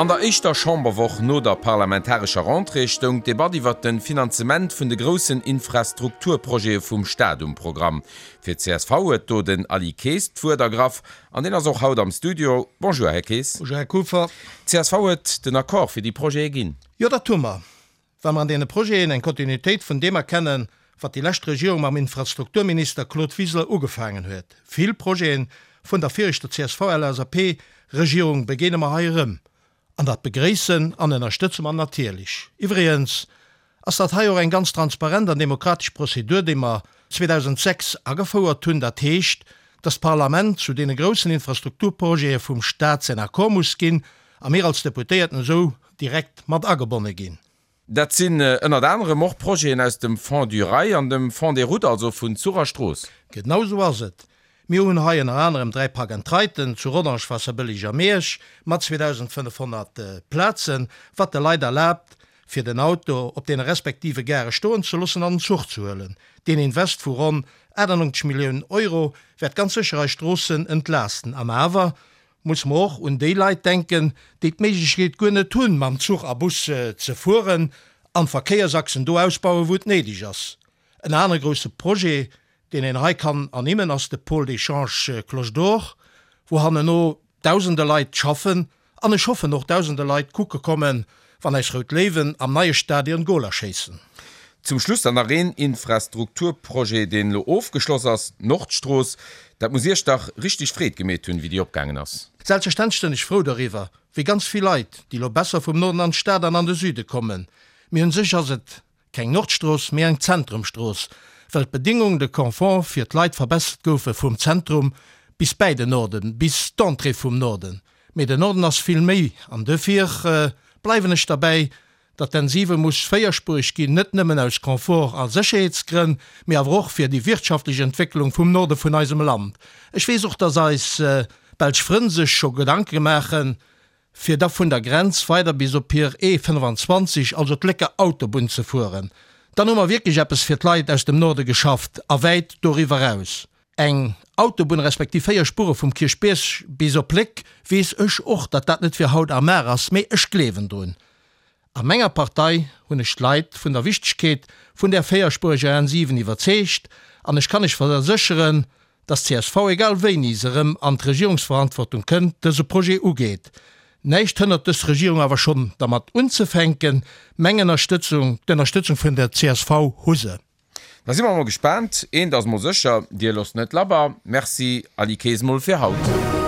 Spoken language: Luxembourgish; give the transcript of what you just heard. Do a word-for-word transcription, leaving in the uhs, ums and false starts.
An der éischter Chamberwoch no der parlamentarescher Rentrée stoung d'Debatt iwwert de Finanzement vun de groussen Infrastrukturprojete vum Staat um Programm. Fir d'CSV huet do den Aly Kaes d'Wuert ergraff an deen ass och haut am Studio. Bonjour, Här Kaes. Bonjour, Här Kuffer. D'CSV huet den Accord fir déi Projete ginn. Jo, dat hu mer, well mer an deene Projeten eng Kontinuitéit vun deem erkennen, wat déi lescht Regierung mam Infrastrukturminister Claude Wiseler ugefaangen huet. Vill Projete vun der viregter CSV-LSAP-Regierung begéine mer hei erëm. An dat begréissen an ënnerstëtze mer natierlech. Iwwregens ass dat hei och eng ganz transparent an demokratesch Prozedur, déi mer zweedausendsechs agefouert hunn. Dat heescht, dass d'Parlament zu deene groussen Infrastrukturprojete vum Stat säin Accord muss ginn a mir als Deputéierten esou direkt mat agebonne ginn. Dat sinn ënnert anerem och Projeten aus dem Fonds du Rail an dem Fonds des Routes, also vun Zuch a Strooss. Genau esou ass et. Mir hunn hei ënner anerem dräi Park-and-Riden zu Rodange, Waasserbëlleg a Miersch mat zweedausendfënnefhonnert Plazen, wat de Leit erlaabt, fir den Auto op deene respektive Gare stoen ze loossen an den Zuch ze huelen. Deen Invest vu ronn achtannongzeg Milliounen Euro wäert ganz sécher eis Stroossen entlaasten. An awer musse mer och un déi Leit denken, déi d'Méiglechkeet guer net hunn, mam Zuch a Bus ze fueren, an d'Verkéiersachsen do ausbauen, wou et néideg ass. En anere grousse Projet, deen een hei kann ernimmen, ass de Pôle d'échange Cloche d'Or, wou hanneno dausende Leit schaffen an ech hoffen och dausende Leit kucke kommen, wann eis Rout Léiwen am neie Stadion Goler schéissen. Zum Schluss dann nach een Infrastrukturprojet, deen elo ofgeschloss ass, d'Nordstrooss. Dat muss Iech dach richteg Freed gemeet hunn, wéi déi opgaangen ass? Selbstverständlech sinn ech frou doriwwer, wéi ganz vill Leit, déi elo besser vum Norden an d'Stad an an de Süde kommen. Mee un sech ass et keng Nordstrooss, mee eng Zentrumstrooss, well d'Bedingungen de confort fir d'Leit verbessert goufe vum Zentrum bis bäi den Norden, bis d'Entrée vum Norden. Mee den Norden ass vill méi an duerfir bleiwen ech derbäi, datt d'N siwe muss véierspuereg ginn, net nëmmen aus Confort a Sécherheetsgrënn, mee awer och fir déi wirtschaftlech Entwécklung vum Norde vun eisem Land. Ech weess och, datt eis belsch Frënn sech scho Gedanke maachen, fir da vun der Grenz weider bis op hir E fënnefanzwanzeg, also d'Lécker Autobunn ze fueren. Dann hu mer wierklech eppes fir d'Leit aus dem Norde geschafft a wäit doriwwer eraus. Eng Autobunn respektiv véier Spure vum Kierchbierg bis op Léck, weess ech och, datt dat net fir haut a mar ass, mee ech gleewen drun. A menger Partei hunn ech d'Leit vun der Wichtegkeet vun där véierspuereger N siwen iwwerzeegt an ech kann lech versécheren, datt csv, egal wéini se erëm an d'Regierungsverantwortung kënnt, dëse Projet ugeet. Näischt hënnert dës Regierung awer schonn dermat unzefänken. Meng Ënnerstëtzung, d'Ënnerstëtzung vun der csv hu se. Da si mer mol gespaant. Eent ass mol sécher, Dir loosst net labber. Merci Aly Kaes mol fir haut.